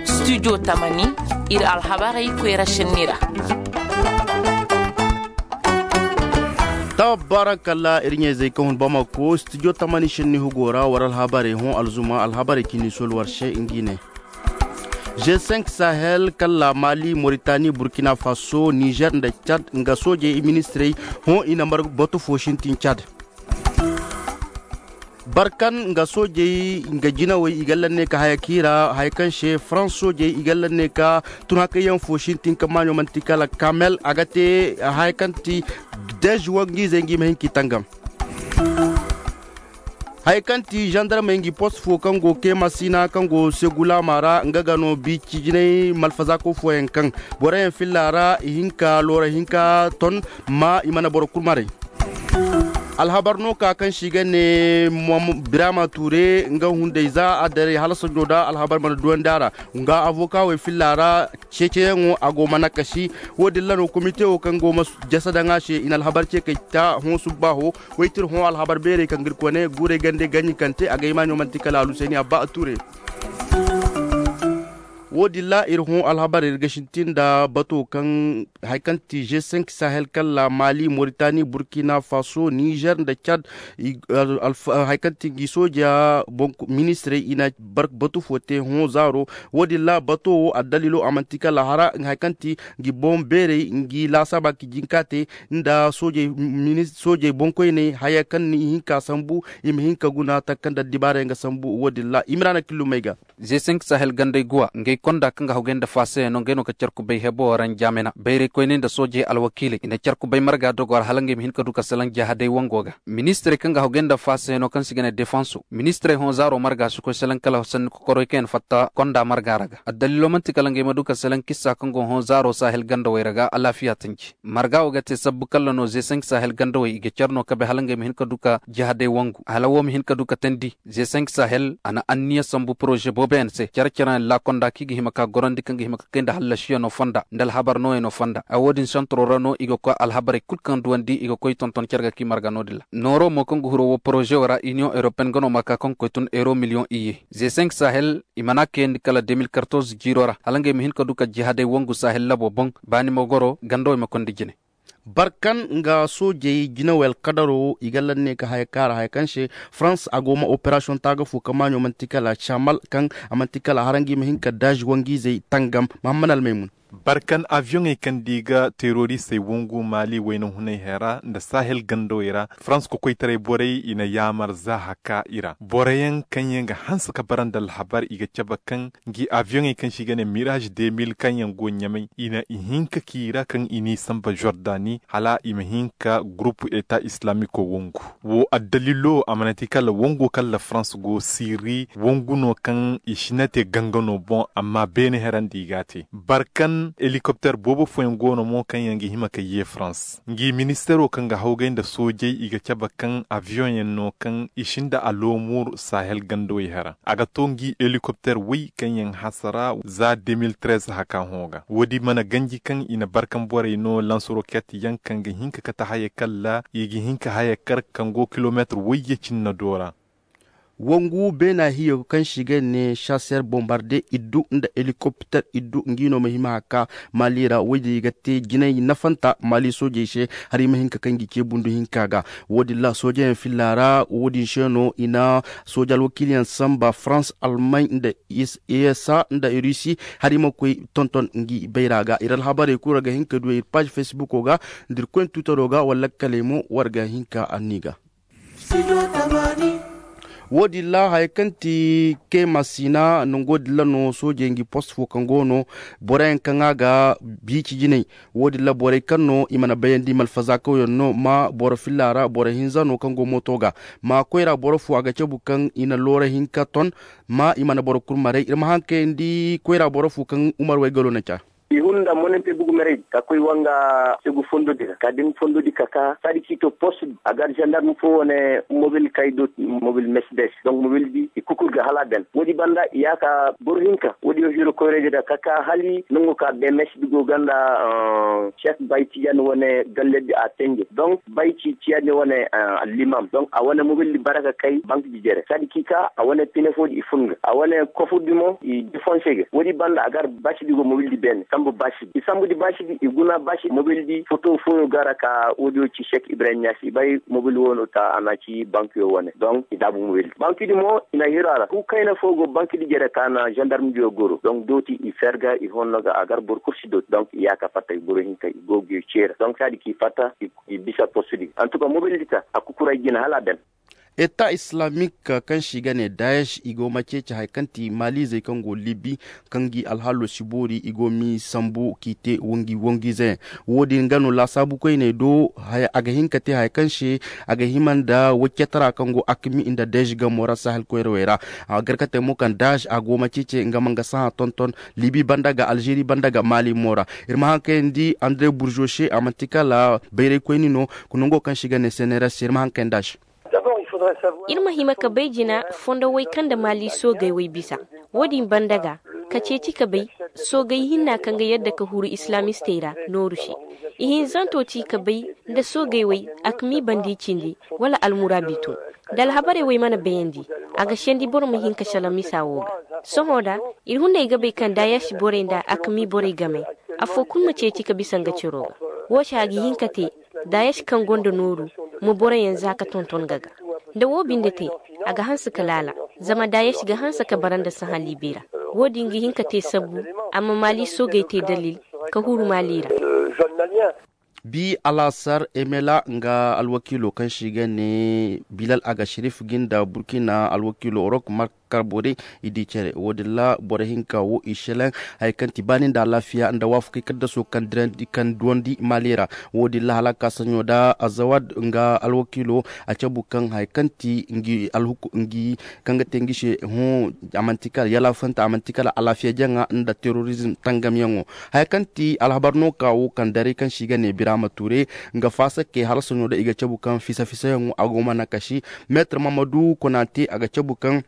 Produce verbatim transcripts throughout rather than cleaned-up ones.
Studio tamani, iri alhabarey koyra senni ra. Tabarakalla, iri ɲayzey kaŋ hun bamako studio tamani senni hugo ra war alhabarey hõ alzuma alhabarey cindi sol war se ngi ne. G cinq sahel kalla mali moritani burkina faso nizer nda cad nga soojey ministirey hõ i na mar batu fo sintin cad. Barkan nga soojey nga jinawey i galla ne ka haya kiira haya kaŋ se france soojey i galla ne ka tun hakayyaŋ fo sintin ka maaɲo manti kala kamel a ga te haya kaŋ ti dez wangiizey ngi ma hin k'i tangam. Haya kaŋ ti zandarmey ngi post fo kaŋ go keema sina kaŋ go segulaama ra nga ga no biici jinay malfazaako fooyaŋ kaŋ boroyaŋ filla ra i hinka loora hinka ton ma i mana boro kulu maray. Alhabar no ka kaŋ si ga ne birama ture nga hunday za a daray hala sanjo da alhabar mana duwandi a ra nga avoka wey filla ra. Ceeceyaŋo a go mana kasi. Wo- din ra no komite wo kaŋ go ma jasa daŋ a se i na alhabar ce kay ta hõ subbaaho. Waytir hõ alhabar beerey kaŋ ga iri kone guurey gande ganji kaŋ te a ga hima ɲo manti kala aluseeni abba a ture. Wo- din ra iri hõ alhabar iri ga sintin nda bato kaŋ hari kaŋ ti g cinq sahel kalla mali moritani burkina faso nizer nda cad. Hari kaŋ ti ngi sooja ministirey i na batu fo te hõ zaaro. Wo- din ra bato wo addaliilo a manti kala hara hari kaŋ ti ngi boŋ beerey ngi laasaaba ka jinka te nda soojey boŋkoyney haya kaŋ ni hinka sambu i ma hinka guna taka kaŋ da addibaarey nga sambu wo- din ra i ma ra na killumey ga. Ze cinq sahel gandey guwa ngey konda kaŋ ga hawgay nda faasayey no ngey no ga care kubay hebo ranjamena bayray koyney nda soojey alwakiiley i na care kubay marga dogo ra hala ngey ma hin ka du ka salaŋ jahadey wango ga. Ministirey kaŋ ga hawgay nda faasayey no kaŋ se i ga ne defanso ministirey hõ zaaro marga si koy salaŋ kala sanni kokoroy kaŋ yaŋ fatta konda marga ra ga addaliilo manti kala ngey ma du ka salaŋ kissa kaŋ go hõ zaaro sahel gandawey ra ga alaafiya tanji. Marga wo ga te sabbu kalla no ze cinq sahel gandawey i ga care no kabe hala ngey ma hin ka du ka jihadey wangu hala wo ma hin ka du ka tandi. Ze cinq sahel a na anniya sambu poroze boobo yaŋ se care care yaŋ laakonda kaŋ i ga hima ka gorandi kaŋ ga hima ka kay nda hallasiyaŋo fonda nda alhabar nooyaŋo fonda a wo- din santaro ra no i ga koy alhabarey kulu kaŋ duwandi i ga koy tonton care ga kaŋ i marga no- din ra nooro mo kaŋ ga huro wo poroze wo ra iniyoŋ europeyen ga no ma ka kaŋ ga koy tun euro miliyoŋ iyye. Ze cinq sahel i mana kayandi kala deux mille quatorze jiiro ra hala ngey ma hin ka du ka jihadey wangu sahel labo boŋ baani ma goro gandawey ma konda jine. Barkan nga soojey jinawey alkadaro i ga lanne ka haya kaara haya kaŋ se farans a go ma operasiyoŋ taaga fo kaŋ maaɲo manti kala camal kaŋ a manti kala harangi ma hin ka daazi wangiizey tangam. Mahamman almaymun. Barkan aviyoŋey kaŋ di ga teroristey wangu maali wayna hunay hera nda sahel gandawey ra farans kokoytaray borey i na yaamar za haka i ra boroyaŋ kaŋ yaŋ ga hanse ka bara nda alhabar i ga cabe kaŋ ngi aviyoŋey kaŋ se i ga ne mirage deux mille kaŋ yaŋ go ɲamay i na i hinka k'i ra kaŋ i n'i samba jordani hala i ma hin ka gurupu eta islamiko wangu. Wo addalilo a mana ti kala wango kaŋ la farans go siri wangu no kaŋ i si na te gangano boŋ amma beene herandi i ga a te barkan helikopter boobo fooyaŋ go no mo kaŋ yaŋ ga hima ka ye farans ngi ministero kaŋ ga hawgay nda soojey i ga cabe kaŋ aviyoŋ yaŋ no kaŋ i sinda alomur sahel gandawey hera a ga to ngi helikopter way kaŋ yaŋ hasara za deux mille treize haka hõ ga wo- din mana ganji kaŋ i na barkan borey no lanse roket yaŋ kaŋ ga hinka kate haya kalla i ga hinka haya kar kaŋ go kilometre wayye cinna do ra. Wangu beena hiyo kaŋ se i ga ne chasseur bombarde iddu nda helikopter iddu ngi no ma hima haka mali ra wo- din i ga te jinay nafanta mali soojey se hari ma hin ka kaŋ gi ce bundu hinka ga. Wo- din ra soojeyaŋ filla ra wo- din se no i na sooje alwakiiliyaŋ samba farans almay nda esa nda rusi hari ma koy tonton ngi bayra ga iri alhabarey kulu ra ga hin ka du iri paazi fesbuko ga nda iri koyne tuutaro ga wala lakkaley mo war ga hin ka anni ga. Wo- din ra haya kaŋ ti kema sina nango din ra no soojey ngi post fo kaŋ go no boroyaŋ kaŋ a ga biici jinay. Wo- din ra borey kaŋ no i mana bayandi malfazaakaw yaŋ no ma boro filla ra boro hinza no kaŋ go mooto ga ma koyra boro fo a ga cabu kaŋ i na loora hinka ton ma i mana boro kulu maray iri ma haŋ kayandi koyra boro fo kaŋ umar waygalo na ca. I hun nda monente bugu merey ka koy wanga segu fondo di ra ka din fondo di ka ka sadi k'i to post di a gar gendarme fo wane mobil kay do mobil mercedes donc mobil di i kukur ga hala ben wo- di banda i ya ka boro hinka wo- di yo hiro koyra di ra ka ka hali nango ka be mes di go ganda. Chef bay tijan wane galle di a tenje donc bay ci tiyan wane limam donc a wane mobil di bara ka kay bank di jere sadi k'i ka a wane pine fo di i fun ga a wane kofu di mo i defonse ga wo- di banda a gar basi di go mobil di bene sambu basi di i sambu di basi di i guna basi mobil di foto fo yo gara ka wo- di yo ci chek ibrahim yasi i bay mobil wo no ta a na ci bank yo wane donc i dabu mobil di bank di mo i na hiro a ra ku kayna fo go bank di jere ka na gendarme di yo goro donc dooti i ferga i honno ga a gar boro kursi dooti donc i ya ka fatta i boro hinka i go ga yo cera donc sadi k'i fatta i bisa post di en tout cas mobil di ta a kukuray jina hala a ben. Eta islamik kaŋ se i ga ne dayesh i go ma ceeci hari kaŋ ti malizey kaŋ go libi kaŋ gi alhaalo si boori i go m'i sambu k'i te wangi wangiize yaŋ. Wo- din ga no laasaabu koyney do a ga hin ka te hari kaŋ se a ga hima nda waccetara kaŋ go akmi nda dayesh gamo ra sahel koyrawey ra. A gar ka te mo kaŋ dayesh a go ma ceeci nga ma nga sahã tonton libi banda ga alzeeri banda ga mali mo ra. Iri ma haŋ kayandi andre burzo se a manti kala bayray koyni no. Nango kaŋ se i ga ne seneras se iri ma haŋ kayandi a se. Iri ma hima ka bay jina fondo way kaŋ nda maali soogay way bisa. Wo- din banda ga ka ceeci ka bay soogay hinna kaŋ ga yadda ka huru islamistey ra nooru se. Ihinzanto ci ka bay nda soogay way akmi bandi cindi wala almuraabitu. Da alhabarey way mana bayandi a ga sendi boro ma hin ka sala misa wo ga. Sohõ da iri hunday ga bay kaŋ daayasi borey nda akmi borey game afo kulu ma ceeci ka bisa nga ciro ga. Wo se a ga hin ka te daayasi kaŋ gonda nooru ma boroyaŋ za ka tonton ga ga. Nda wo binde te a ga hanse ka laala zama daayasi ga hanse ka bara nda sahã libi ra. Wo- din ga hin ka te sabbu a ma maali soogey te dalil ka huru maali ra. Bi alaasar emela nga alwakiilo kaŋ se i ga ne bilal aga sharif ga nda burkina alwakiilo orok mark karbore i di care wo- din ra boro hinka wo i selaŋ hari kaŋ ti baani nda alaafiya nda waafakey kaddaso kaŋ duwandi maali ra. Wo- din ra hala a ka saɲo da azawad nga alwakiilo a cabu kaŋ hari kaŋ ti ngi alhuku ngi kaŋ ga te ngi se hõ a manti kala yalaafanta a manti kala alaafiya jaŋa nda terrorizm tangamyaŋo. Haya kaŋ ti alhabar no ka wo kaŋ daray kaŋ se i ga ne birama ture nga faasakey hala sohõ da i ga cabu kaŋ fisa-fisayaŋo a go ma nakasi. Meetar mamadu konate a ga cabu kaŋ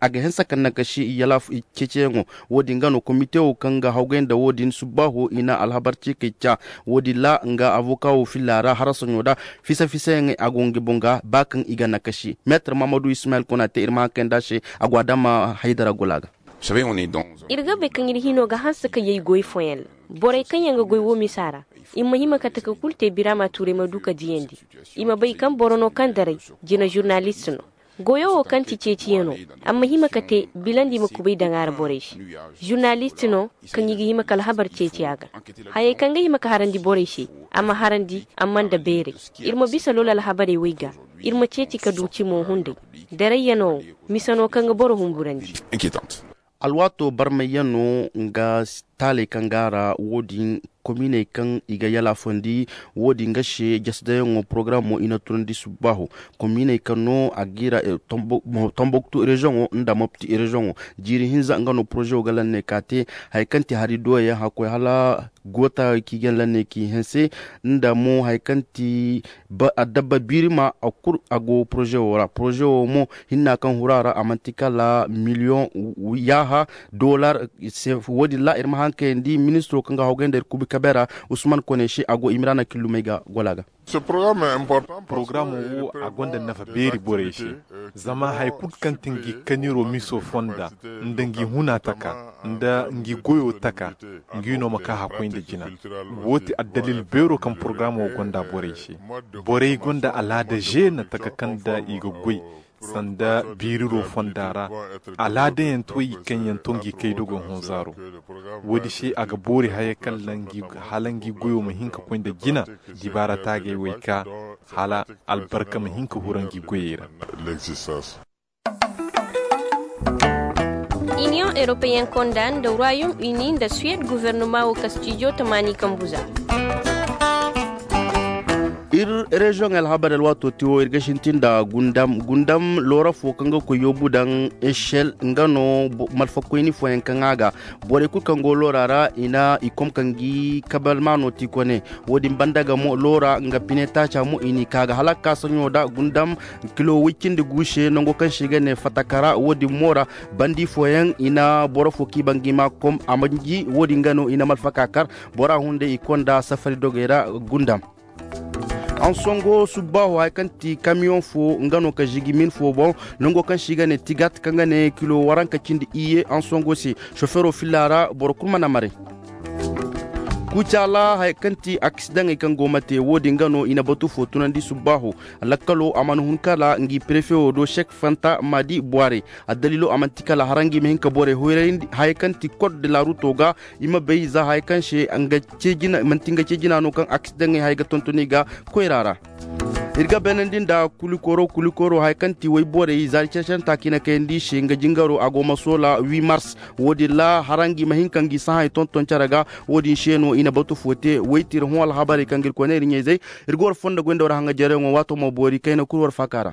a ga hanse kaŋ nakasi yala ceeciyaŋo. Wo- din ga no komite wo kaŋ ga hawgay nda wo- din subbaaho i na alhabar ce kay ca. Wo- din ra nga avoka wo filla ra hara sohõ da fisa-fisayaŋey a go nga boŋ ga ba kaŋ i ga nakasi. Meetar mamadu ismail konate iri ma haŋ kayandi a se a go a dama haydara gola ga. Iri ga bay kaŋ iri hino ga hanse ka yay goy fooyaŋ ra. Borey kaŋ yaŋ ga goy wo misa ra i ma hima kate ka kulu te birama tuurey ma du ka diyandi. I ma bay kaŋ boro no kaŋ daray jina zurnalist no. Goyo wo kaŋ ti ceeciyaŋo a ma hima ka te bilandi ma kubay daŋ a ra borey se. Zurnalist no kaŋ i ga hima ka alhabar ceeci a ga. Hayey kaŋ ga hima ka harandi borey se a ma harandi amma nda beeray. Iri ma bisa lola alhabarey way ga iri ma ceeci ka du cimo hunday. Darayyano wo mise no kaŋ ga boro humburandi. Alwaato barmayyaŋ no nga taaley kaŋ ga a ra wo- din kominey kaŋ i ga yalaafandi. Wo- din ga se jasdayaŋo porogaraamo i na tunandi subbaaho kominey kaŋ no a ga i ra. Tomboktu reziyoŋo nda mopti reziyoŋo jiiri hinza nga no porozewo ga lanney ka te. Hari kaŋ ti hari doyaŋ hakkoy hala goota kaŋ i ga lanney k'i hanse nda mo hari kaŋ ti addabba biiri ma a kulu a go poroze wo ra poroze wo mo hinna kaŋ huru a ra a manti kala miliyoŋ yaaha dollar. Wo- din ra iri ma haŋ kayandi ministiro kaŋ ga hawgay nda iri kubi kabe ra usman kone se a go imiraana killumey ga gola ga. Porogaraamo wo a gonda nafa beeri borey se. Zama hari kulu kaŋ ti ngi kaniro miso fonda nda ngi huna taka nda ngi goyo taka ngi no ma ka hakkoy nda jina. Wo ti addalil beero kaŋ porogaraamo gonda borey se. Borey gonda alaada zeena taka kaŋ nda i ga goy sanda biiriro fonda ra. Alaadayaŋ to i kaŋ yaŋ to ngi kay dogo honzaaro. Wo- din se a ga boori haya kaŋ hala ngi goyo ma hin ka koy nda jina. Dibaara taagay way ka hala albarka ma hin ka hura ngi goyey ra. Iniyoŋ europeyen konda nda royaume uni nda suwed guvernoma wo kastijo tamaani kambuza. Reziyoŋ alhabar alwaato te wo iri ga sintin nda gundam gundam loora fo kaŋ ga koy yoobu daŋ echel nga no. Malfakoyni fooyaŋ kaŋ a ga borey kulu kaŋ go loora ra i na i kom kaŋ ga i kabalmaano te i kone. Wo- din banda ga mo loora nga pine taaca mo i n'i ka ga hala ga ka saɲo nda gundam kilo way cindi gu se nango kaŋ se i ga ne fatakara wo- din mo ra. Bandi fooyaŋ i na boro fo kaŋ i baŋ ga i ma kom a manji wo- din ga no i na malfaka kar bora hunday i konda safari dogey ra. Gundam ansongo subbaaho hari kaŋ ti kamiyoŋ fo nga no ka zigi min fo boŋ nango kaŋ se i ga ne tigat kaŋ ga ne kilo waranka cindi iyye ansongo se. Sofero filla ra boro kulu mana maray. Kucaala hari kaŋ ti akisidaŋey kaŋ go ma te wo- din ga no i na batu fo tunandi subbaaho. Lakkalo a mana hun kala ngi prefe wo do sek fanta ma di bware. Addaliilo a manti kala harangi ma hin ka borey hoyrayndi haya kaŋ ti kod de laaruto ga i ma bay za haya kaŋ se manti nga ce jina no kaŋ akisidaŋey haya ga tontoni ga koyra ra. Iri ga beenandi nda kulikoro kulikoro haya kaŋ ti wayborey zaari care-care nta kaŋ i na kayandi i se nga jingaro a go ma soola wi mars. Wo- din ra harangi ma hin ka ngi sahay tonton care ga. Wo- din se no i na batu fo te waytira hõ alhabarey kaŋ ga iri koy ne iri ɲayzey. Iri ga war fondo goy nda war haŋajereyaŋo waato ma boori kayna kulu war faaka ra.